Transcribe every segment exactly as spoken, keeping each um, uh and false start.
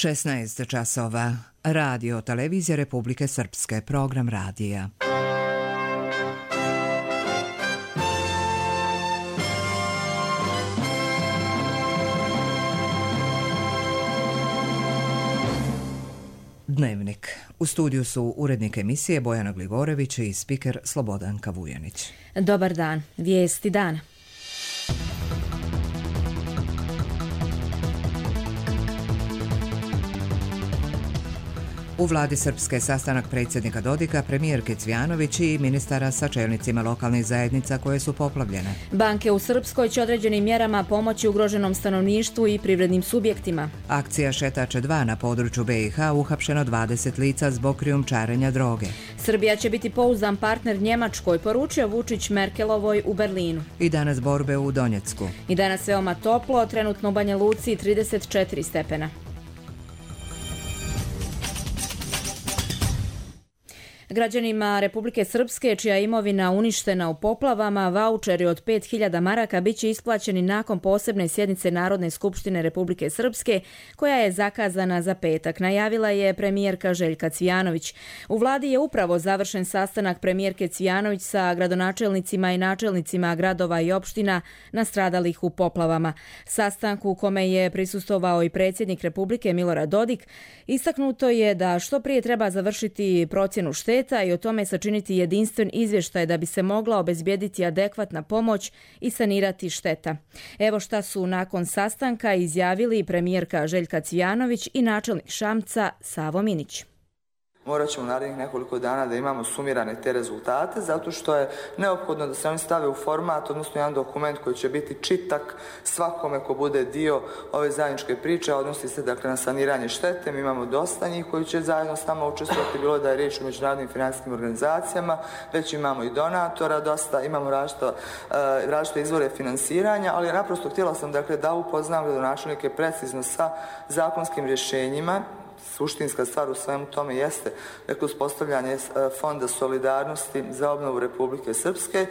šesnaest časova. Radio Televizija Republike Srpske. Program radija. Dnevnik. U studiju su urednik emisije Bojana Glivorević i spiker Slobodanka Vujanić. Dobar dan. Vijesti dana. U vladi Srpske sastanak predsjednika Dodika, premijerke Cvjanović i ministara sa čelnicima lokalnih zajednica koje su poplavljene. Banke u Srpskoj će određenim mjerama pomoći ugroženom stanovništvu i privrednim subjektima. Akcija Šetače dva na području B i H, uhapšeno dvadeset lica zbog krijumčarenja droge. Srbija će biti pouzdan partner Njemačkoj, poručio Vučić Merkelovoj u Berlinu. I danas borbe u Donjecku. I danas veoma toplo, trenutno u Banja Luci trideset četiri stepena. Građanima Republike Srpske, čija je imovina uništena u poplavama, vaučeri od pet hiljada maraka biće isplaćeni nakon posebne sjednice Narodne skupštine Republike Srpske, koja je zakazana za petak, najavila je premijerka Željka Cvjanović. U vladi je upravo završen sastanak premijerke Cvjanović sa gradonačelnicima i načelnicima gradova i opština nastradalih u poplavama. Sastanku u kome je prisustvovao i predsjednik Republike Milorad Dodik, istaknuto je da što prije treba završiti procjenu šteta i o tome sačiniti jedinstven izvještaj da bi se mogla obezbijediti adekvatna pomoć i sanirati šteta. Evo šta su nakon sastanka izjavili premijerka Željka Cvjanović i načelnik Šamca Savo Minić. Morat ćemo narednih nekoliko dana da imamo sumirane te rezultate, zato što je neophodno da se oni stave u format, odnosno jedan dokument koji će biti čitak svakome ko bude dio ove zajedničke priče, odnosi se dakle na saniranje štete. Mi imamo dosta njih koji će zajedno s nama učestvovati, bilo da je riječ o međunarodnim financijskim organizacijama, već imamo i donatora dosta, imamo različite, različite izvore finansiranja, ali naprosto htjela sam dakle da upoznam gradonačelnike precizno sa zakonskim rješenjima. Suštinska stvar u svemu tome jeste dakle, uspostavljanje Fonda solidarnosti za obnovu Republike Srpske,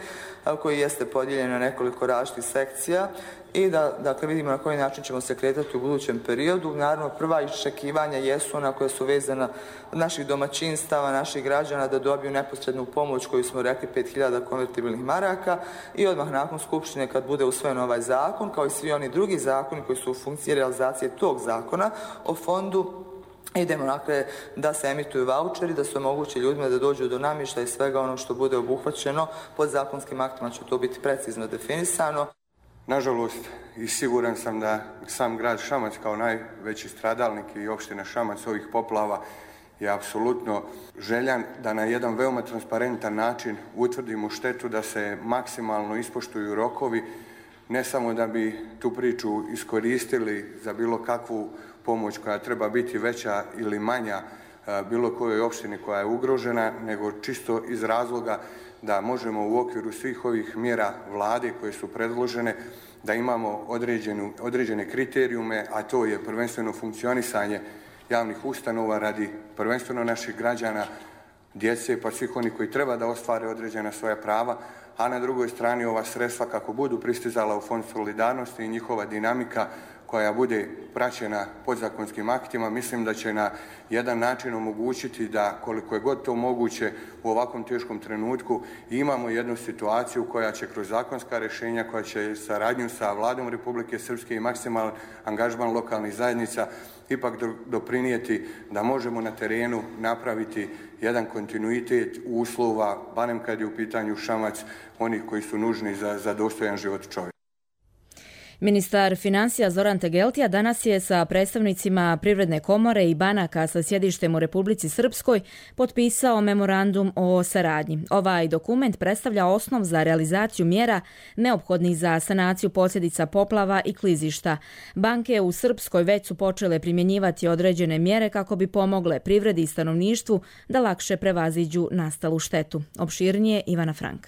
koji jeste podijeljen na nekoliko različitih sekcija i da dakle, vidimo na koji način ćemo se kretati u budućem periodu. Naravno, prva iščekivanja jesu ona koja su vezana od naših domaćinstava, naših građana da dobiju neposrednu pomoć koju smo rekli pet hiljada konvertibilnih maraka i odmah nakon Skupštine kad bude usvojen ovaj zakon, kao i svi oni drugi zakoni koji su u funkciji realizacije tog zakona o fondu, idemo dakle da se emituju vaučeri, da se omogući ljudima da dođu do namještaja i svega ono što bude obuhvaćeno pod zakonskim aktima će to biti precizno definisano. Nažalost, i siguran sam da sam grad Šamac kao najveći stradalnik i opština Šamac ovih poplava je apsolutno željan da na jedan veoma transparentan način utvrdimo štetu, da se maksimalno ispoštuju rokovi, ne samo da bi tu priču iskoristili za bilo kakvu pomoć koja treba biti veća ili manja bilo kojoj opštini koja je ugrožena, nego čisto iz razloga da možemo u okviru svih ovih mjera vlade koje su predložene, da imamo određenu, određene kriterijume, a to je prvenstveno funkcionisanje javnih ustanova radi prvenstveno naših građana, djece, pa svih oni koji treba da ostvare određena svoja prava, a na drugoj strani ova sredstva kako budu pristizala u Fond solidarnosti i njihova dinamika koja bude praćena podzakonskim aktima, mislim da će na jedan način omogućiti da koliko je god to moguće u ovakvom teškom trenutku imamo jednu situaciju koja će kroz zakonska rješenja, koja će saradnju sa vladom Republike Srpske i maksimalan angažman lokalnih zajednica ipak doprinijeti da možemo na terenu napraviti jedan kontinuitet uslova, barem kad je u pitanju Šamac, onih koji su nužni za, za dostojan život čovjeka. Ministar financija Zoran Tegeltija danas je sa predstavnicima Privredne komore i banaka sa sjedištem u Republici Srpskoj potpisao memorandum o saradnji. Ovaj dokument predstavlja osnov za realizaciju mjera neophodnih za sanaciju posljedica poplava i klizišta. Banke u Srpskoj već su počele primjenjivati određene mjere kako bi pomogle privredi i stanovništvu da lakše prevaziđu nastalu štetu. Opširnije Ivana Frank.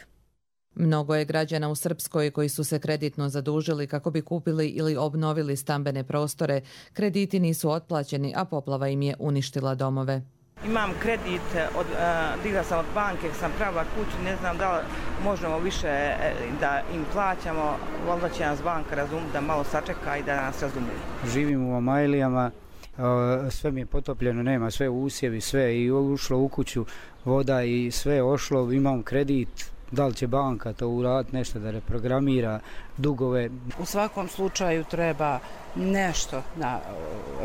Mnogo je građana u Srpskoj koji su se kreditno zadužili kako bi kupili ili obnovili stambene prostore. Krediti nisu otplaćeni, a poplava im je uništila domove. Imam kredit, od, uh, digla sam od banke, sam pravila kuću, ne znam da li možemo više da im plaćamo, valjda će nas banka razumjeti da malo sačeka i da nas razumije. Živim u Amajlijama sve mi je potopljeno, nema sve usjevi, sve i ušlo u kuću voda i sve ošlo, imam kredit, da li će banka to uraditi, nešto da reprogramira dugove. U svakom slučaju treba nešto na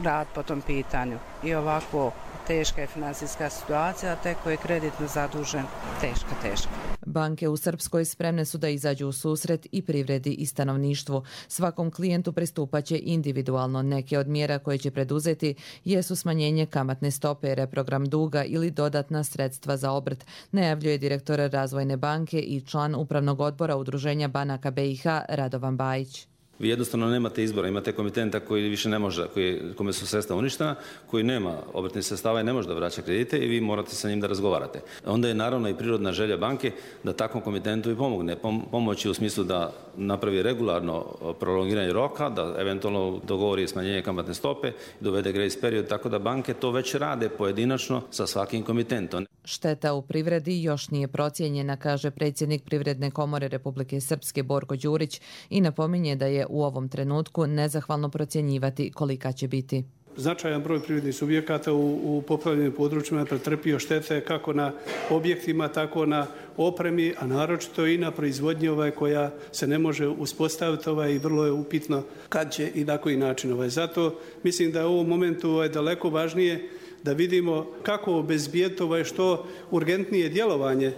rad po tom pitanju i ovako teška je financijska situacija, te ko je kreditno zadužen, teška, teška. Banke u Srpskoj spremne su da izađu u susret i privredi i stanovništvu. Svakom klijentu pristupaće individualno. Neke od mjera koje će preduzeti jesu smanjenje kamatne stope, reprogram duga ili dodatna sredstva za obrt, najavljuje direktor Razvojne banke i član upravnog odbora Udruženja banaka B i H Radovan Bajić. Vi jednostavno nemate izbora, imate komitenta koji više ne može, koji, kome su sredstva uništena, koji nema obrtnih sredstava i ne može da vraća kredite i vi morate sa njim da razgovarate. Onda je naravno i prirodna želja banke da takvom komitentu i pomogne. Pomoći u smislu da napravi regularno prolongiranje roka, da eventualno dogovori smanjenje kamatne stope, dovede grace period, tako da banke to već rade pojedinačno sa svakim komitentom. Šteta u privredi još nije procijenjena, kaže predsjednik Privredne komore Republike Srpske Borko Đurić i napominje da je u ovom trenutku nezahvalno procjenjivati kolika će biti. Značajan broj privrednih subjekata u, u poplavljenim područjima je pretrpio štete kako na objektima, tako na opremi, a naročito i na proizvodnji ovaj koja se ne može uspostaviti ovaj, i vrlo je upitno kad će i na koji način. Ovaj. Zato mislim da je u ovom momentu ovaj, daleko važnije da vidimo kako obezbijeti ovaj, što urgentnije djelovanje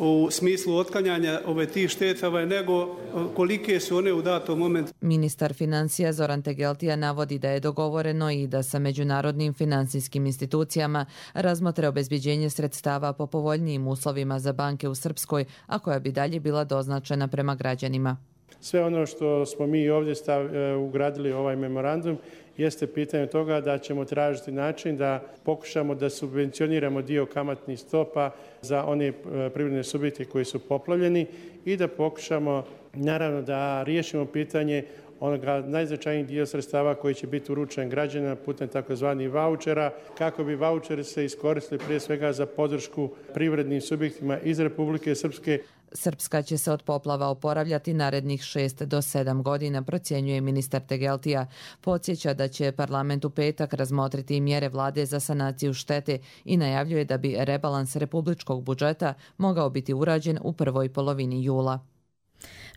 u smislu otklanjanja ove tih štetava nego kolike su one u datom momentu. Ministar financija Zoran Tegeltija navodi da je dogovoreno i da sa međunarodnim financijskim institucijama razmotre obezbeđenje sredstava po povoljnijim uslovima za banke u Srpskoj, a koja bi dalje bila doznačena prema građanima. Sve ono što smo mi ovdje stav, ugradili ovaj memorandum jeste pitanje toga da ćemo tražiti način da pokušamo da subvencioniramo dio kamatnih stopa za one privredne subjekte koji su poplavljeni i da pokušamo naravno da riješimo pitanje onoga najznačajnijih dio sredstava koji će biti uručen građanima putem takozvanih vaučera, kako bi vaučeri se iskoristili prije svega za podršku privrednim subjektima iz Republike Srpske. Srpska će se od poplava oporavljati narednih šest do sedam godina, procjenjuje ministar Tegeltija. Podsjeća da će parlament u petak razmotriti mjere vlade za sanaciju štete i najavljuje da bi rebalans republičkog budžeta mogao biti urađen u prvoj polovini jula.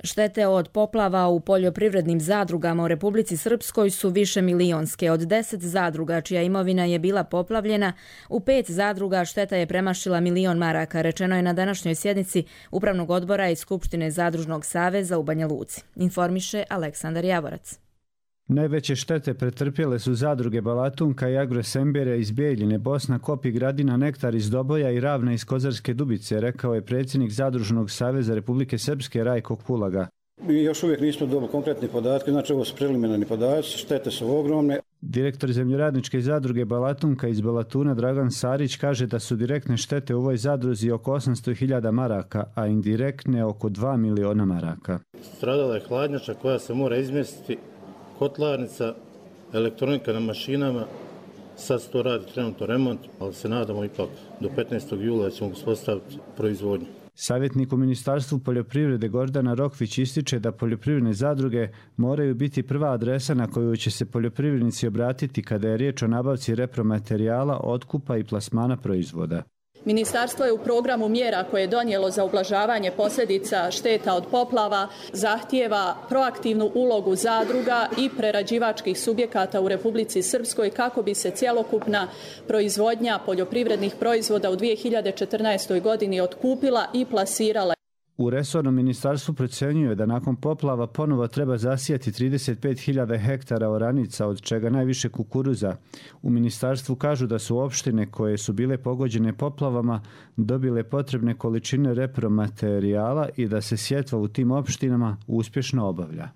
Štete od poplava u poljoprivrednim zadrugama u Republici Srpskoj su više milionske. Od deset zadruga čija imovina je bila poplavljena, u pet zadruga šteta je premašila milion maraka, rečeno je na današnjoj sjednici Upravnog odbora i Skupštine Zadružnog saveza u Banja Luci. Informiše Aleksandar Javorac. Najveće štete pretrpjele su zadruge Balatunka i Agrosembere iz Bijeljine, Bosna, Kopi, Gradina, Nektar iz Doboja i Ravna iz Kozarske Dubice, rekao je predsjednik Zadružnog saveza Republike Srpske Rajko Kulaga. Mi još uvijek nismo dobili konkretne podatke, znači ovo su preliminarni podaci, štete su ogromne. Direktor zemljoradničke zadruge Balatunka iz Balatuna Dragan Sarić kaže da su direktne štete u ovoj zadruzi oko osamsto hiljada maraka, a indirektne oko dva miliona maraka. Stradala je hladnjača koja se mora izmjestiti, kotlarnica, elektronika na mašinama, sad se to radi trenutno remont, ali se nadamo ipak do petnaestog jula ćemo uspostaviti proizvodnju. Savjetnik u Ministarstvu poljoprivrede Gordana Rokvić ističe da poljoprivredne zadruge moraju biti prva adresa na koju će se poljoprivrednici obratiti kada je riječ o nabavci repromaterijala, otkupa i plasmana proizvoda. Ministarstvo je u programu mjera koje je donijelo za ublažavanje posljedica šteta od poplava zahtijeva proaktivnu ulogu zadruga i prerađivačkih subjekata u Republici Srpskoj kako bi se cjelokupna proizvodnja poljoprivrednih proizvoda u dvije hiljade četrnaestoj godini otkupila i plasirala. U resornom ministarstvu procjenjuje da nakon poplava ponovo treba zasijati trideset pet hiljada hektara oranica, od čega najviše kukuruza. U ministarstvu kažu da su opštine koje su bile pogođene poplavama dobile potrebne količine repromaterijala i da se sjetva u tim opštinama uspješno obavlja.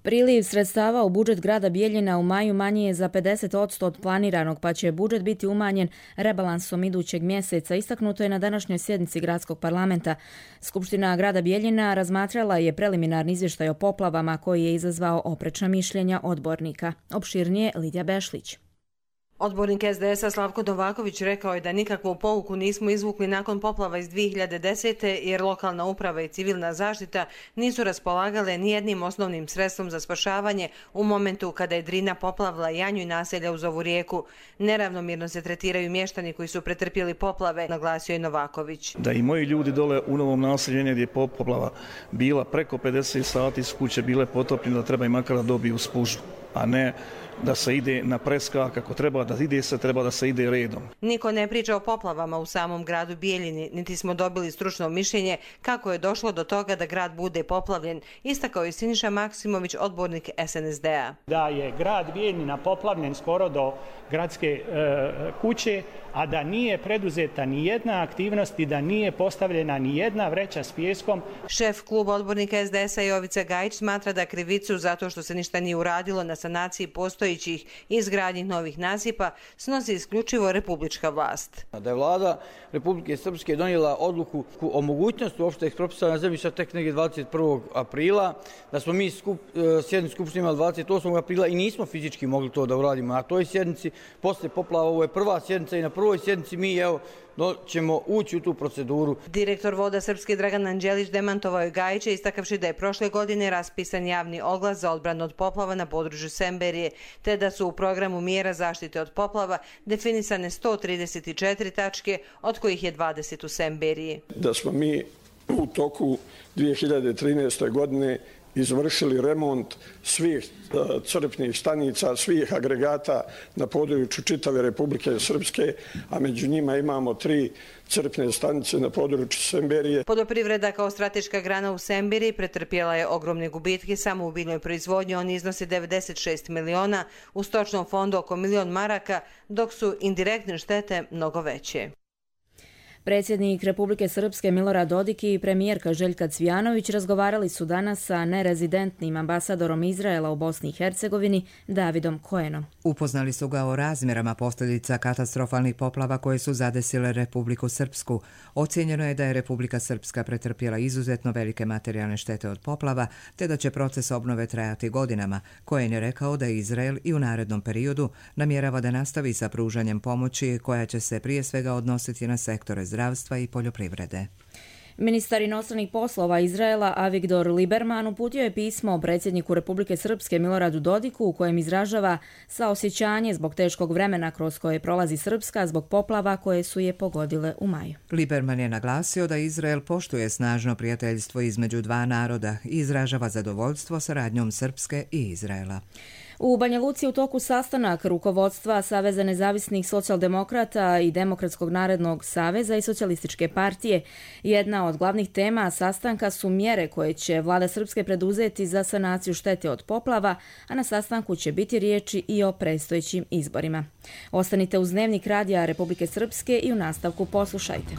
Priliv sredstava u budžet grada Bijeljina u maju manji je za pedeset posto od planiranog, pa će budžet biti umanjen rebalansom idućeg mjeseca. Istaknuto je na današnjoj sjednici gradskog parlamenta. Skupština grada Bijeljina razmatrala je preliminarni izvještaj o poplavama koji je izazvao oprečna mišljenja odbornika. Opširnije Lidija Bešlić. Odbornik es de esa Slavko Novaković rekao je da nikakvu pouku nismo izvukli nakon poplava iz dvije hiljade desete. jer lokalna uprava i civilna zaštita nisu raspolagale nijednim osnovnim sredstvom za spašavanje u momentu kada je Drina poplavila Janju i naselja uz ovu rijeku. Neravnomjerno se tretiraju mještani koji su pretrpjeli poplave, naglasio je Novaković. Da i moji ljudi dole u Novom naselju gdje je poplava bila preko pedeset sati su kuće bile potopljene, da treba i makar da dobiju spužu, a ne da se ide na preskak, ako treba da ide se, treba da se ide redom. Niko ne priča o poplavama u samom gradu Bijeljini, niti smo dobili stručno mišljenje kako je došlo do toga da grad bude poplavljen, istakao je Siniša Maksimović, odbornik es en es de a. Da je grad Bijeljina poplavljen skoro do gradske e, kuće, a da nije preduzeta ni jedna aktivnost i da nije postavljena ni jedna vreća s pijeskom. Šef kluba odbornika es de esa Jovica Gajić smatra da krivicu zato što se ništa nije uradilo na sanaciji postojećih i izgradnji novih nasipa snosi isključivo republička vlast. Da je vlada Republike Srpske donijela odluku o mogućnosti uopšte eksproprisacija zemljišta tek negdje dvadeset prvog aprila, da smo mi skup, sjednicu skupštine imali dvadeset osmog aprila i nismo fizički mogli to da uradimo. Na toj sjednici, posle poplava, ovo je prva sjednica i na prvoj sjednici mi evo no, ćemo ući u tu proceduru. Direktor Voda Srpske Dragan Anđelić demantovao je Gajića istakavši da je prošle godine raspisan javni oglas za odbranu od poplava na području Semberije, te da su u programu mjera zaštite od poplava definisane sto trideset četiri tačke, od kojih je dvadeset u Semberiji. Da smo mi u toku dvije hiljade trinaeste. godine izvršili remont svih crpnih stanica, svih agregata na području čitave Republike Srpske, a među njima imamo tri crpne stanice na području Semberije. Poljoprivreda kao strateška grana u Semberiji pretrpjela je ogromne gubitke samo u biljnoj proizvodnji, oni iznose devedeset šest miliona, u stočnom fondu oko milion maraka, dok su indirektne štete mnogo veće. Predsjednik Republike Srpske Milorad Dodik i premijerka Željka Cvijanović razgovarali su danas sa nerezidentnim ambasadorom Izraela u Bosni i Hercegovini Davidom Koenom. Upoznali su ga o razmjerama posljedica katastrofalnih poplava koje su zadesile Republiku Srpsku. Ocijenjeno je da je Republika Srpska pretrpjela izuzetno velike materijalne štete od poplava, te da će proces obnove trajati godinama. Koen je rekao da Izrael i u narednom periodu namjerava da nastavi sa pružanjem pomoći koja će se prije svega odnositi na sektore zdravstva i poljoprivrede. Ministar inostranih poslova Izraela Avigdor Lieberman uputio je pismo predsjedniku Republike Srpske Miloradu Dodiku u kojem izražava saosjećanje zbog teškog vremena kroz koje prolazi Srpska zbog poplava koje su je pogodile u maju. Lieberman je naglasio da Izrael poštuje snažno prijateljstvo između dva naroda i izražava zadovoljstvo saradnjom Srpske i Izraela. U Banja Luci u toku sastanak rukovodstva Saveza nezavisnih socijaldemokrata i Demokratskog narodnog saveza i Socijalističke partije. Jedna od glavnih tema sastanka su mjere koje će vlada Srpske preduzeti za sanaciju štete od poplava, a na sastanku će biti riječi i o predstojećim izborima. Ostanite uz Dnevnik radija Republike Srpske i u nastavku poslušajte.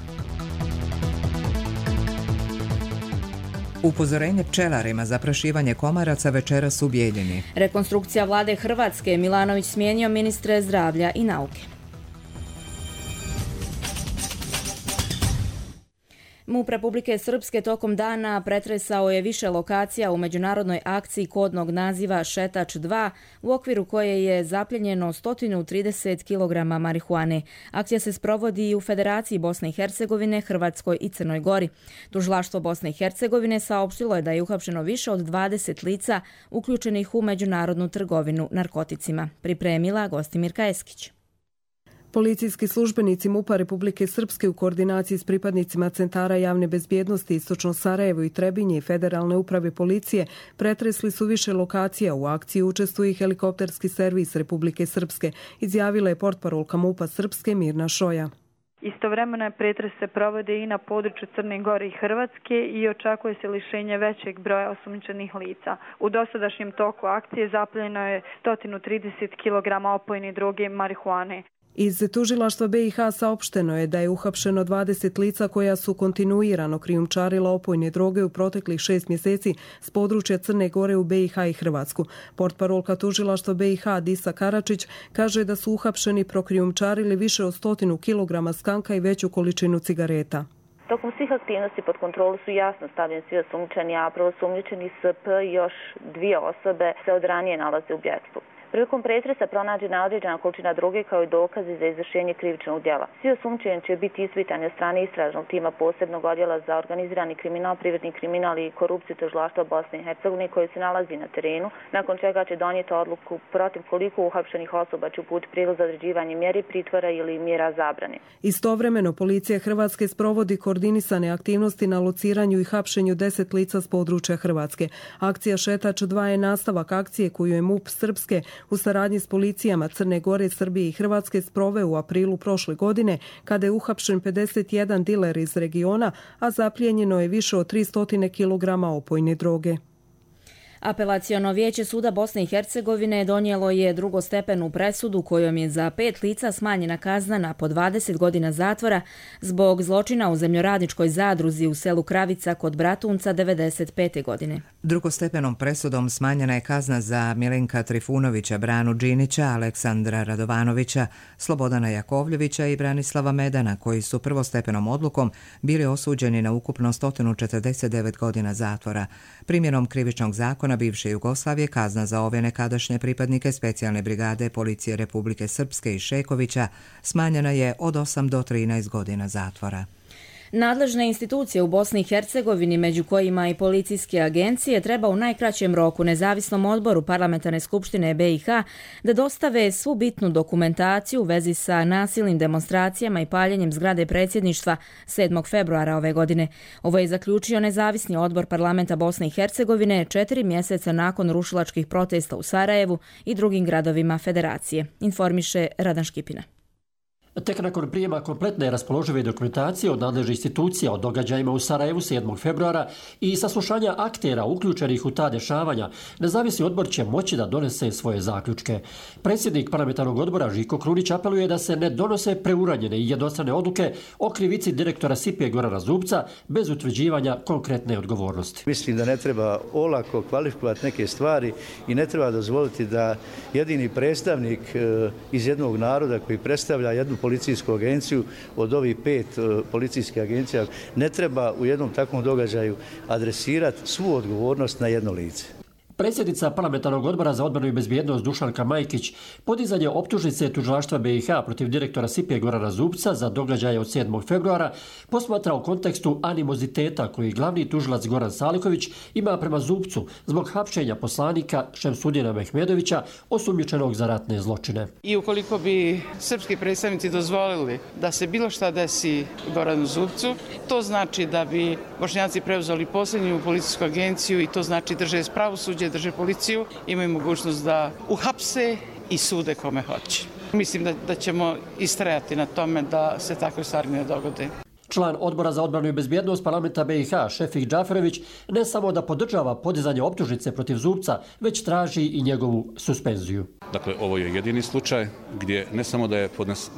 Upozorenje pčelarima za prašivanje komaraca večeras u Bijeljini. Rekonstrukcija vlade Hrvatske. Milanović smijenio ministre zdravlja i nauke. MUP Republike Srpske tokom dana pretresao je više lokacija u međunarodnoj akciji kodnog naziva Šetač dva, u okviru koje je zapljenjeno sto trideset kilograma marihuane. Akcija se sprovodi i u Federaciji Bosne i Hercegovine, Hrvatskoj i Crnoj Gori. Tužilaštvo Bosne i Hercegovine saopštilo je da je uhapšeno više od dvadeset lica uključenih u međunarodnu trgovinu narkoticima. Pripremila Gostimirka Eskić. Policijski službenici MUP-a Republike Srpske u koordinaciji s pripadnicima centara javne bezbjednosti Istočno Sarajevo i Trebinje i Federalne uprave policije pretresli su više lokacija. U akciji učestvuje i helikopterski servis Republike Srpske, izjavila je portparolka MUP-a Srpske Mirna Šoja. Istovremeno pretres se provode i na području Crne Gore i Hrvatske i očekuje se lišenje većeg broja osumnjičenih lica. U dosadašnjem toku akcije zapljenjeno je sto trideset kilograma opojne droge marihuane. Iz tužilaštva be i ha saopšteno je da je uhapšeno dvadeset lica koja su kontinuirano krijumčarila opojne droge u proteklih šest mjeseci s područja Crne Gore u be i ha i Hrvatsku. Portparolka tužilaštva be i ha Disa Karačić kaže da su uhapšeni prokrijumčarili više od stotinu kilograma skanka i veću količinu cigareta. Tokom svih aktivnosti pod kontrolu su jasno stavljeni svi osumnjičeni, a prvo osumnjičeni S P i još dvije osobe se od ranije nalaze u bjegstvu. Prilikom pretresa pronađena određena količina droge kao i dokazi za izvršenje krivičnog djela. Svi osumnjičeni će biti ispitani od strane istražnog tima posebnog odjela za organizirani kriminal, privredni kriminal i korupciju tužilaštva Bosne i Hercegovine koji se nalazi na terenu, nakon čega će donijeti odluku protiv koliko uhapšenih osoba će uputiti prijedlog za određivanje mjeri pritvora ili mjera zabrane. Istovremeno, policija Hrvatske sprovodi koordinisane aktivnosti na lociranju i hapšenju deset lica s područja Hrvatske. Akcija Šetač dva je nastavak akcije koju je MUP Srpske u saradnji s policijama Crne Gore, Srbije i Hrvatske sproveo u aprilu prošle godine, kada je uhapšen pedeset jedan diler iz regiona, a zaplijenjeno je više od tristo kilograma opojne droge. Apelaciono vijeće suda Bosne i Hercegovine donijelo je drugostepenu presudu kojom je za pet lica smanjena kazna na po dvadeset godina zatvora zbog zločina u zemljoradničkoj zadruzi u selu Kravica kod Bratunca devedeset pete godine. Drugostepenom presudom smanjena je kazna za Milenka Trifunovića, Branu Đinića, Aleksandra Radovanovića, Slobodana Jakovljevića i Branislava Medana, koji su prvostepenom odlukom bili osuđeni na ukupno sto četrdeset devet godina zatvora. Primjenom krivičnog zakona bivše Jugoslavije kazna za ove nekadašnje pripadnike specijalne brigade policije Republike Srpske i Šekovića smanjena je od osam do trinaest godina zatvora. Nadležne institucije u Bosni i Hercegovini, među kojima i policijske agencije, treba u najkraćem roku nezavisnom odboru Parlamentarne skupštine B i H da dostave svu bitnu dokumentaciju u vezi sa nasilnim demonstracijama i paljenjem zgrade predsjedništva sedmog februara ove godine. Ovo je zaključio nezavisni odbor Parlamenta Bosne i Hercegovine četiri mjeseca nakon rušilačkih protesta u Sarajevu i drugim gradovima federacije, informiše Radan Škipina. Tek nakon prijema kompletne raspoložive dokumentacije od nadležnih institucija o događajima u Sarajevu sedmog februara i saslušanja aktera uključenih u ta dešavanja, nezavisni odbor će moći da donese svoje zaključke. Predsjednik parlamentarnog odbora Žiko Krunić apeluje da se ne donose preuranjene i jednostrane odluke o krivici direktora S I P-a Gorana Zubca bez utvrđivanja konkretne odgovornosti. Mislim da ne treba olako kvalifikovati neke stvari i ne treba dozvoliti da jedini predstavnik iz jednog naroda koji predstavlja jednu policijsku agenciju od ovih pet policijskih agencija ne treba u jednom takvom događaju adresirati svu odgovornost na jedno lice. Predsjednica Parlamentarnog odbora za odbranu i bezbjednost Dušanka Majkić podizanje optužnice tužilaštva B i H protiv direktora S I P-a Gorana Zubca za događaje od sedmog februara posmatra u kontekstu animoziteta koji glavni tužilac Goran Saliković ima prema Zubcu zbog hapšenja poslanika Šemsudina Mehmedovića osumnjičenog za ratne zločine. I ukoliko bi srpski predstavnici dozvolili da se bilo šta desi Goranu Zubcu, to znači da bi Bošnjaci preuzeli posljednju policijsku agenciju i to znači drže pravosuđe, drže policiju, imaju mogućnost da uhapse i sude kome hoće. Mislim da, da ćemo istrajati na tome da se takve stvari ne dogode. Član odbora za odbranu i bezbjednost parlamenta B i H, Šefik Džaferević, ne samo da podržava podizanje optužnice protiv Zubca, već traži i njegovu suspenziju. Dakle, ovo je jedini slučaj gdje ne samo da je podnes,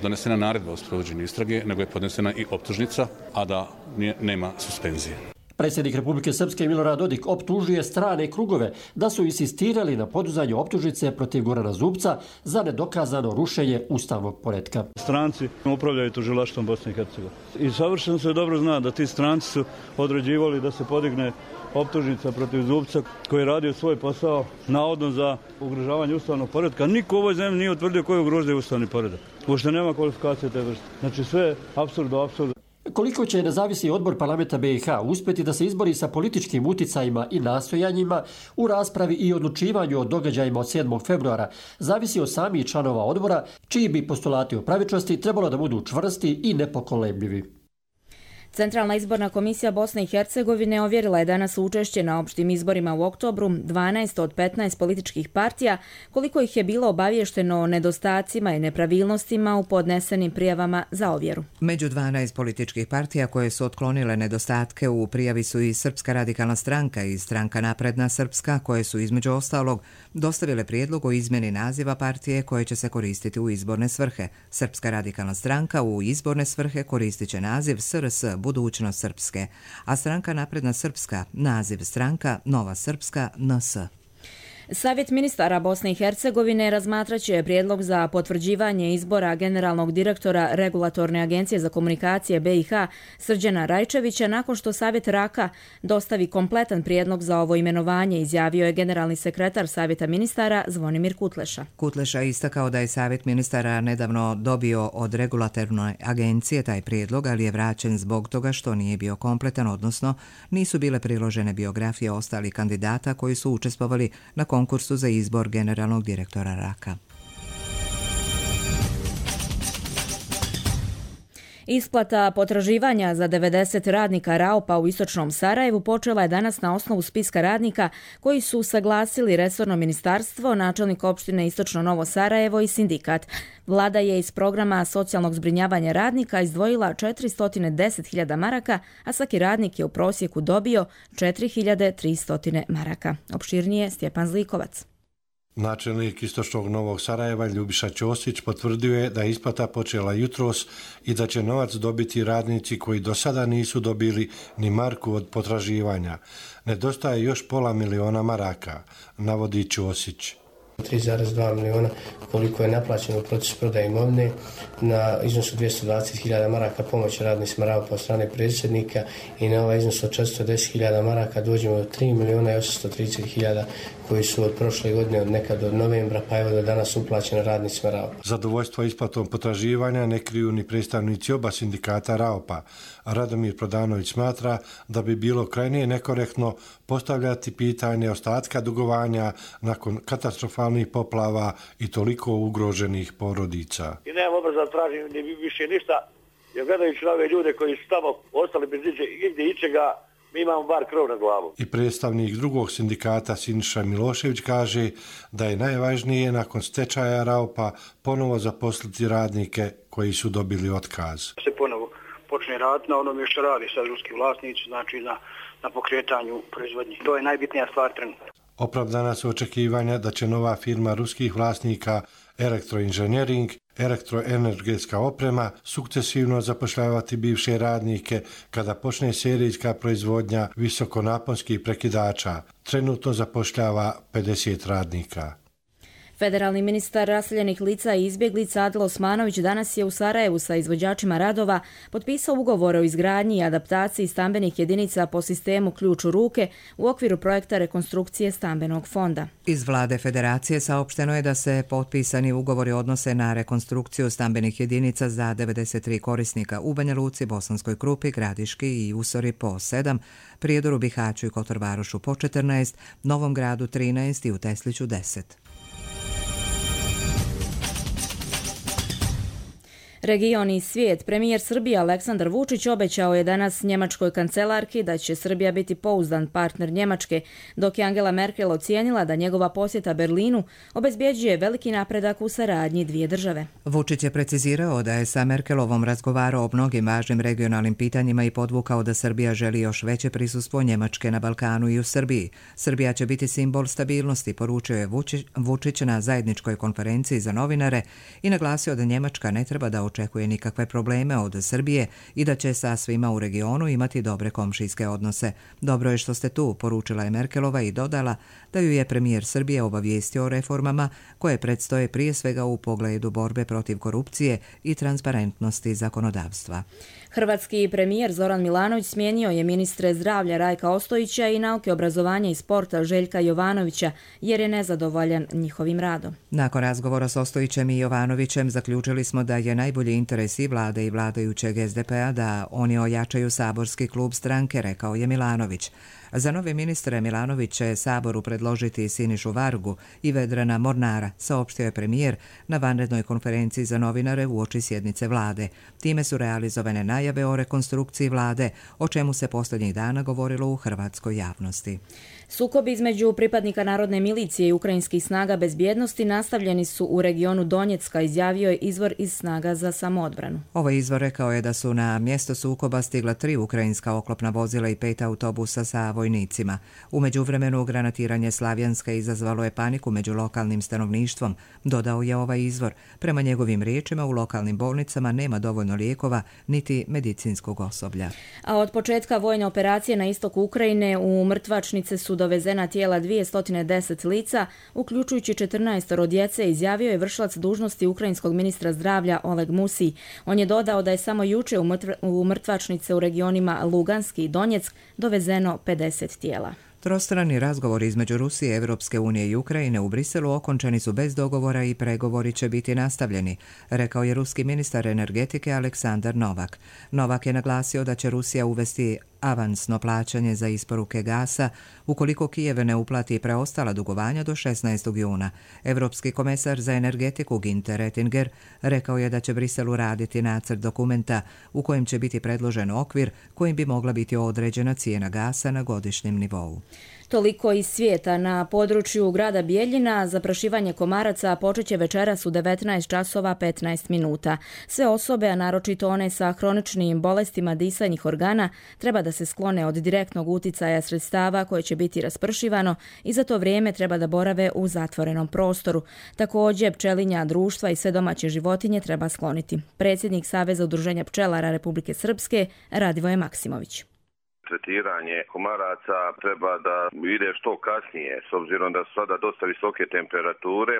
donesena naredba o sprovođenju istrage, nego je podnesena i optužnica, a da nije, nema suspenzije. Predsjednik Republike Srpske Milorad Dodik optužuje strane krugove da su insistirali na podizanju optužnice protiv Gorana Zubca za nedokazano rušenje ustavnog poretka. Stranci upravljaju tužilaštvom Bosne i Hercegovine. I savršeno se dobro zna da ti stranci su određivali da se podigne optužnica protiv Zubca koji je radio svoj posao navodno za ugrožavanje ustavnog poretka. Niko u ovoj zemlji nije utvrdio koji ugrožuje ustavni poredak. Uopšte nema kvalifikacije te vrste. Znači sve je apsurd do apsurda. Koliko će nezavisni odbor parlamenta B i H uspjeti da se izbori sa političkim uticajima i nastojanjima u raspravi i odlučivanju o događajima od sedmog februara zavisi od samih članova odbora, čiji bi postulati o pravičnosti trebalo da budu čvrsti i nepokolebljivi. Centralna izborna komisija Bosne i Hercegovine ovjerila je danas učešće na opštim izborima u oktobru dvanaest od petnaest političkih partija, koliko ih je bilo obavješteno o nedostacima i nepravilnostima u podnesenim prijavama za ovjeru. Među dvanaest političkih partija koje su otklonile nedostatke u prijavi su i Srpska radikalna stranka i Stranka napredna Srpska, koje su između ostalog dostavile prijedlog o izmjeni naziva partije koje će se koristiti u izborne svrhe. Srpska radikalna stranka u izborne svrhe koristit će naziv S R S Budućnost Srpske, a Stranka napredna Srpska naziv Stranka Nova Srpska N S. Savjet ministara Bosne i Hercegovine razmatraće prijedlog za potvrđivanje izbora generalnog direktora Regulatorne agencije za komunikacije B i H Srđana Rajčevića nakon što Savjet Raka dostavi kompletan prijedlog za ovo imenovanje, izjavio je generalni sekretar Savjeta ministara Zvonimir Kutleša. Kutleša je istakao da je Savjet ministara nedavno dobio od Regulatorne agencije taj prijedlog, ali je vraćen zbog toga što nije bio kompletan, odnosno nisu bile priložene biografije ostalih kandidata koji su učestvovali na konkursu za izbor generalnog direktora Raka. Isplata potraživanja za devedeset radnika Raopa u istočnom Sarajevu počela je danas na osnovu spiska radnika koji su saglasili resorno ministarstvo, načelnik opštine Istočno Novo Sarajevo i sindikat. Vlada je iz programa socijalnog zbrinjavanja radnika izdvojila četiristo deset hiljada maraka, a svaki radnik je u prosjeku dobio četiri hiljade tristo maraka. Opširnije Stjepan Zlikovac. Načelnik Istočnog Novog Sarajeva Ljubiša Ćosić potvrdio je da je isplata počela jutros i da će novac dobiti radnici koji do sada nisu dobili ni marku od potraživanja. Nedostaje još pola miliona maraka, navodi Ćosić. tri zarez dva miliona koliko je naplaćeno u procesu prodaje imovine, na iznosu dvjesto dvadeset hiljada maraka pomoći radnicima Raopa od strane predsjednika i na ovaj iznos od četiristo deset hiljada maraka dođemo do tri miliona i osamsto trideset hiljada koji su od prošle godine, od nekad od novembra, pa evo do danas uplaćene radnicima Raopa. Zadovoljstvo isplatom potraživanja ne kriju ni predstavnici oba sindikata Raopa. Radomir Prodanović smatra da bi bilo krajnije nekorektno postavljati pitanje ostatka dugovanja nakon katastrofalnih poplava i toliko ugroženih porodica. I nemam obraza tražim ni više ništa, jer gledajući ove ljude koji su tamo ostali bez igdje ičega, mi imamo bar krov nad glavom. I predstavnik drugog sindikata Siniša Milošević kaže da je najvažnije nakon stečaja Raopa ponovo zaposliti radnike koji su dobili otkaz. Se ponovo počne raditi na onome što radi sad ruski vlasnici, znači na, na pokretanju proizvodnje. To je najbitnija stvar trenutno. Opravdana su očekivanja da će nova firma ruskih vlasnika Elektroinženjering, elektroenergetska oprema, sukcesivno zapošljavati bivše radnike kada počne serijska proizvodnja visokonaponskih prekidača. Trenutno zapošljava pedeset radnika. Federalni ministar raseljenih lica i izbjeglica Adil Osmanović danas je u Sarajevu sa izvođačima radova potpisao ugovore o izgradnji i adaptaciji stambenih jedinica po sistemu ključ u ruke u okviru projekta rekonstrukcije stambenog fonda. Iz vlade Federacije saopšteno je da se potpisani ugovori odnose na rekonstrukciju stambenih jedinica za devedeset tri korisnika u Banja Luci, Bosanskoj Krupi, Gradiški i Usori po sedam, Prijedoru, Bihaću i Kotorvarošu po četrnaest, Novom Gradu trinaest i u Tesliću deset. Region i svijet. Premijer Srbije Aleksandar Vučić obećao je danas njemačkoj kancelarki da će Srbija biti pouzdan partner Njemačke, dok je Angela Merkel ocijenila da njegova posjeta Berlinu obezbjeđuje veliki napredak u saradnji dvije države. Vučić je precizirao da je sa Merkelovom razgovarao o mnogim važnim regionalnim pitanjima i podvukao da Srbija želi još veće prisustvo Njemačke na Balkanu i u Srbiji. Srbija će biti simbol stabilnosti, poručio je Vučić na zajedničkoj konferenciji za novinare i naglasio da Njemačka ne treba da očekuje nikakve probleme od Srbije i da će sa svima u regionu imati dobre komšijske odnose. Dobro je što ste tu, poručila je Merkelova i dodala da ju je premijer Srbije obavijestio o reformama koje predstoje prije svega u pogledu borbe protiv korupcije i transparentnosti zakonodavstva. Hrvatski premijer Zoran Milanović smijenio je ministre zdravlja Rajka Ostojića i nauke, obrazovanja i sporta Željka Jovanovića jer je nezadovoljan njihovim radom. Nakon razgovora s Ostojićem i Jovanovićem zaključili smo da je najbolji interes i vlade i vladajućeg es de pe a da oni ojačaju saborski klub stranke, rekao je Milanović. Za nove ministre Milanović će Saboru predložiti Sinišu Vargu i Vedrana Mornara, saopštio je premijer na vanrednoj konferenciji za novinare uoči sjednice vlade. Time su realizovane najave o rekonstrukciji vlade, o čemu se posljednjih dana govorilo u hrvatskoj javnosti. Sukobi između pripadnika narodne milicije i ukrajinskih snaga bezbjednosti nastavljeni su u regionu Donjecka, izjavio je izvor iz snaga za samoodbranu. Ovaj izvor rekao je da su na mjesto sukoba stigla tri ukrajinska oklopna vozila i pet autobusa sa vojnim vojnicima. U međuvremenu granatiranje Slavjanska izazvalo je paniku među lokalnim stanovništvom, dodao je ovaj izvor. Prema njegovim riječima u lokalnim bolnicama nema dovoljno lijekova niti medicinskog osoblja. A od početka vojne operacije na istoku Ukrajine u mrtvačnice su dovezena tijela dvjesto deset lica, uključujući četrnaestoro djece, izjavio je vršilac dužnosti ukrajinskog ministra zdravlja Oleg Musi. On je dodao da je samo juče u mrtvačnice u regionima Luganski i Donjeck dovezeno pedeset tijela. Trostrani razgovori između Rusije, Evropske unije i Ukrajine u Briselu okončani su bez dogovora i pregovori će biti nastavljeni, rekao je ruski ministar energetike Aleksandar Novak. Novak je naglasio da će Rusija uvesti avansno plaćanje za isporuke gasa ukoliko Kijev ne uplati preostala dugovanja do šesnaestog juna. Evropski komesar za energetiku Günther Oettinger rekao je da će Briselu raditi nacrt dokumenta u kojem će biti predložen okvir kojim bi mogla biti određena cijena gasa na godišnjem nivou. Toliko iz svijeta. Na području grada Bijeljina zaprašivanje komaraca počet će večeras u devetnaest časova petnaest minuta. Sve osobe, a naročito one sa hroničnim bolestima disajnih organa, treba da se sklone od direktnog uticaja sredstava koje će biti raspršivano i za to vrijeme treba da borave u zatvorenom prostoru. Također, pčelinja društva i sve domaće životinje treba skloniti. Predsjednik Saveza udruženja pčelara Republike Srpske Radivoje Maksimović. Tretiranje komaraca treba da ide što kasnije, s obzirom da su sada dosta visoke temperature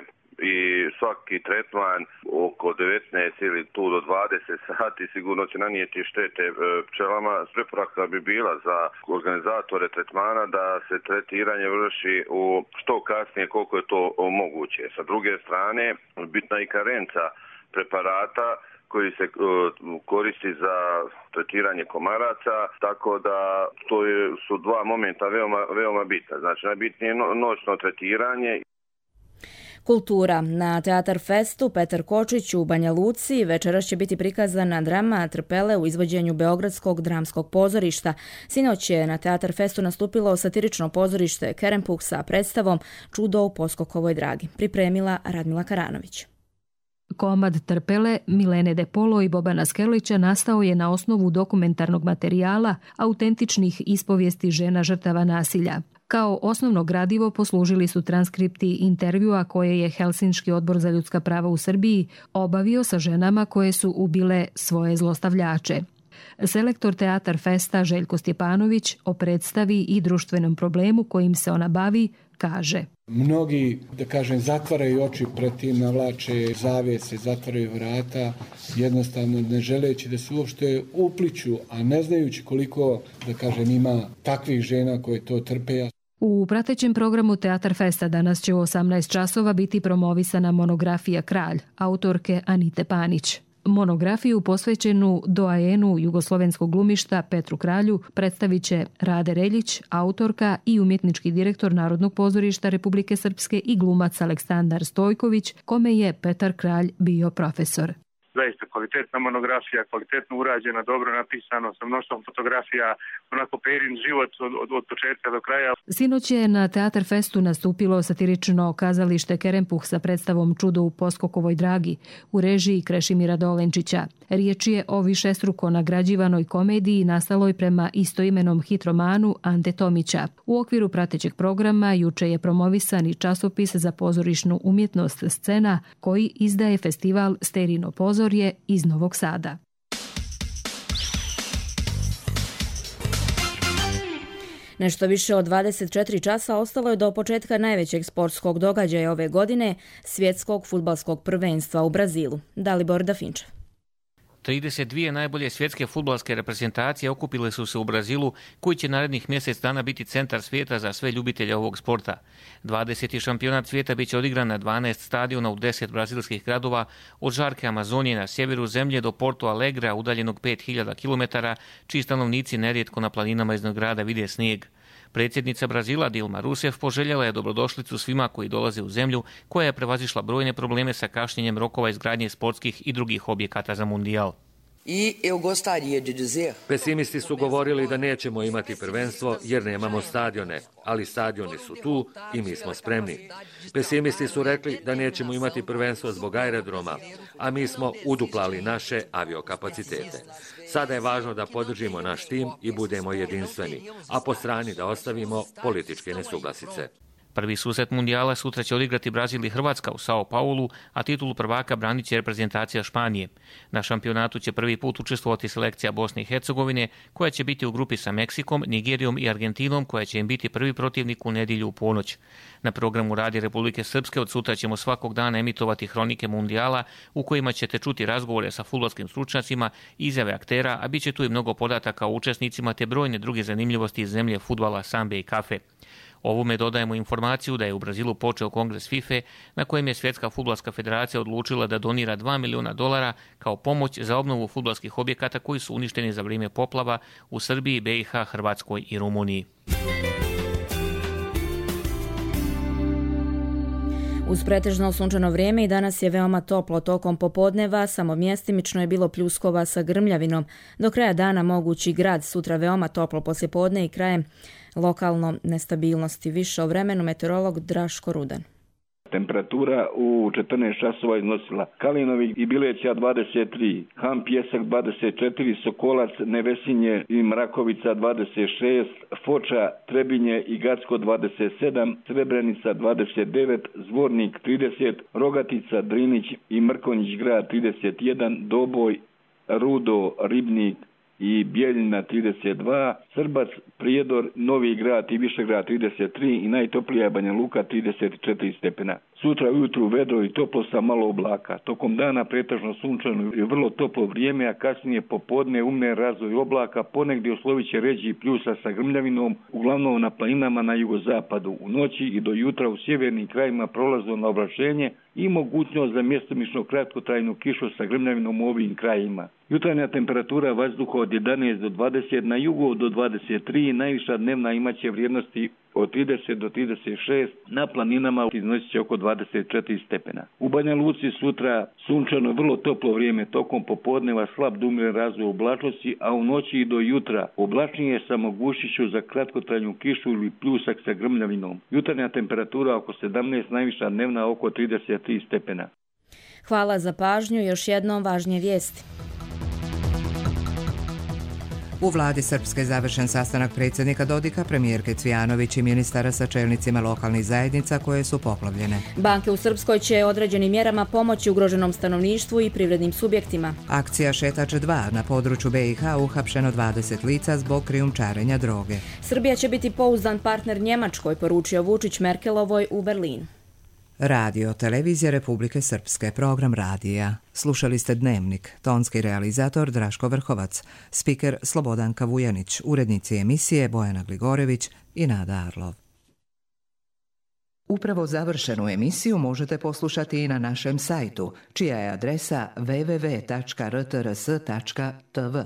i svaki tretman oko devetnaest ili tu do dvadeset sati sigurno će nanijeti štete pčelama. Preporuka bi bila za organizatore tretmana da se tretiranje vrši u što kasnije koliko je to moguće. Sa druge strane, bitna i karenca preparata koji se koristi za tretiranje komaraca, tako da to je, su dva momenta veoma, veoma bitna. Znači, najbitnije je noćno tretiranje. Kultura. Na Teatar Festu Petar Kočić u Banja Luci večeras će biti prikazana drama Trpele u izvođenju Beogradskog dramskog pozorišta. Sinoć je na Teatar Festu nastupilo satirično pozorište Kerempuh sa predstavom Čudo u Poskokovoj dragi. Pripremila Radmila Karanović. Komad Trpele Milene De Polo i Bobana Skerlića nastao je na osnovu dokumentarnog materijala autentičnih ispovijesti žena žrtava nasilja. Kao osnovno gradivo poslužili su transkripti intervjua koje je Helsinški odbor za ljudska prava u Srbiji obavio sa ženama koje su ubile svoje zlostavljače. Selektor Teatar Festa Željko Stjepanović o predstavi i društvenom problemu kojim se ona bavi kaže: Mnogi, da kažem, zatvaraju oči pred tim, navlače zavjese, zatvaraju vrata, jednostavno ne želeći da se uopšte upliču, a ne znajući koliko, da kažem, ima takvih žena koje to trpe. U pratećem programu Teatar Festa danas će u osamnaest časova biti promovisana monografija Kralj, autorke Anite Panić. Monografiju posvećenu doajenu jugoslovenskog glumišta Petru Kralju predstavit će Rade Reljić, autorka i umjetnički direktor Narodnog pozorišta Republike Srpske i glumac Aleksandar Stojković, kome je Petar Kralj bio profesor. Zaista kvalitetna monografija, kvalitetno urađena, dobro napisano, sa mnoštvom fotografija, onako Perin život od, od, od početka do kraja. Sinoć je na Teatar Festu nastupilo satirično kazalište Kerempuh sa predstavom Čudo u Poskokovoj dragi u režiji Krešimira Dolenčića. Riječ je o višestruko nagrađivanoj komediji nastaloj prema istoimenom hitromanu Ante Tomića. U okviru pratećeg programa juče je promovisan i časopis za pozorišnu umjetnost Scena koji izdaje festival Sterino pozorje iz Novog Sada. Nešto više od dvadeset četiri časa ostalo je do početka najvećeg sportskog događaja ove godine, svjetskog fudbalskog prvenstva u Brazilu. Dalibor Dafinčev. trideset dvije najbolje svjetske fudbalske reprezentacije okupile su se u Brazilu, koji će narednih mjesec dana biti centar svijeta za sve ljubitelje ovog sporta. dvadeseti šampionat svijeta bit će odigran na dvanaest stadiona u deset brazilskih gradova, od žarke Amazonije na sjeveru zemlje do Porto Alegrea, udaljenog pet hiljada kilometara, čiji stanovnici nerijetko na planinama iznad grada vide snijeg. Predsjednica Brazila Dilma Rousseff poželjela je dobrodošlicu svima koji dolaze u zemlju koja je prevazišla brojne probleme sa kašnjenjem rokova izgradnje sportskih i drugih objekata za mundijal. Pesimisti su govorili da nećemo imati prvenstvo jer nemamo stadione, ali stadioni su tu i mi smo spremni. Pesimisti su rekli da nećemo imati prvenstvo zbog aerodroma, a mi smo uduplali naše aviokapacitete. Sada je važno da podržimo naš tim i budemo jedinstveni, a po strani da ostavimo političke nesuglasice. Prvi susret mundijala sutra će odigrati Brazil i Hrvatska u Sao Paulu, a titulu prvaka branit će reprezentacija Španije. Na šampionatu će prvi put učestvovati selekcija Bosne i Hercegovine, koja će biti u grupi sa Meksikom, Nigerijom i Argentinom, koja će im biti prvi protivnik u nedjelju u ponoć. Na programu Radija Republike Srpske od sutra ćemo svakog dana emitovati hronike mundijala, u kojima ćete čuti razgovore sa fudbalskim stručnjacima, izjave aktera, a bit će tu i mnogo podataka o učesnicima te brojne druge zanimljivosti iz zemlje fudbala, sambe i kafe. Ovome dodajemo informaciju da je u Brazilu počeo kongres FIFA na kojem je Svjetska fudbalska federacija odlučila da donira dva miliona dolara kao pomoć za obnovu fudbalskih objekata koji su uništeni za vrijeme poplava u Srbiji, B i H, Hrvatskoj i Rumuniji. Uz pretežno sunčano vrijeme i danas je veoma toplo tokom popodneva, samo mjestimično je bilo pljuskova sa grmljavinom. Do kraja dana mogući grad, sutra veoma toplo poslijepodne i krajem lokalno nestabilnosti. Više o vremenu meteorolog Draško Rudan. Temperatura u četrnaest časova iznosila Kalinovi i Bileća dvadeset tri, Ham Pjesak dvadeset četiri, Sokolac, Nevesinje i Mrakovica dvadeset šest, Foča, Trebinje i Gacko dvadeset sedam, Srebrenica dvadeset devet, Zvornik trideset, Rogatica, Drinić i Mrkonjić grad trideset jedan, Doboj, Rudo, Ribnik i Bijeljina trideset dva, Srbac, Prijedor, Novi grad i Višegrad trideset tri i najtoplija Banja Luka trideset četiri stepena. Sutra ujutru vedro i toplo sa malo oblaka. Tokom dana pretežno sunčano i vrlo toplo vrijeme, a kasnije popodne umne razvoj oblaka, ponegdje oslovit će ređi pljusa sa grmljavinom, uglavnom na planinama na jugozapadu. U noći i do jutra u sjevernim krajima prolazno na oblačenje i mogućnost za mjestomično kratkotrajnu kišu sa grmljavinom u ovim krajima. Jutarnja temperatura vazduha od jedanaest do dvadeset, na jugu do dvadeset tri, najviša dnevna imaće vrijednosti od trideset do trideset šest, na planinama iznosit će oko dvadeset četiri stepena. U Banja Luci sutra sunčano vrlo toplo vrijeme, tokom popodneva slab do umjeren razvoj oblačnosti, a u noći i do jutra oblačnije sa mogućnošću za kratkotrajnu kišu ili pljusak sa grmljavinom. Jutarnja temperatura oko sedamnaest, najviša dnevna oko trideset tri stepena. Hvala za pažnju, još jednom važnije vijesti. U vladi Srpske završen sastanak predsjednika Dodika, premijerke Cvijanović i ministara sa čelnicima lokalnih zajednica koje su poplavljene. Banke u Srpskoj će određenim mjerama pomoći ugroženom stanovništvu i privrednim subjektima. Akcija Šetač dva, na području B i H uhapšeno dvadeset lica zbog krijumčarenja droge. Srbija će biti pouzdan partner Njemačkoj, poručio Vučić Merkelovoj u Berlinu. Radio, televizija Republike Srpske, program radija. Slušali ste Dnevnik, tonski realizator Draško Vrhovac, spiker Slobodanka Vujanić, urednici emisije Bojana Gligorević i Nada Arlov. Upravo završenu emisiju možete poslušati i na našem sajtu, čija je adresa w w w tačka r t r s tačka t v.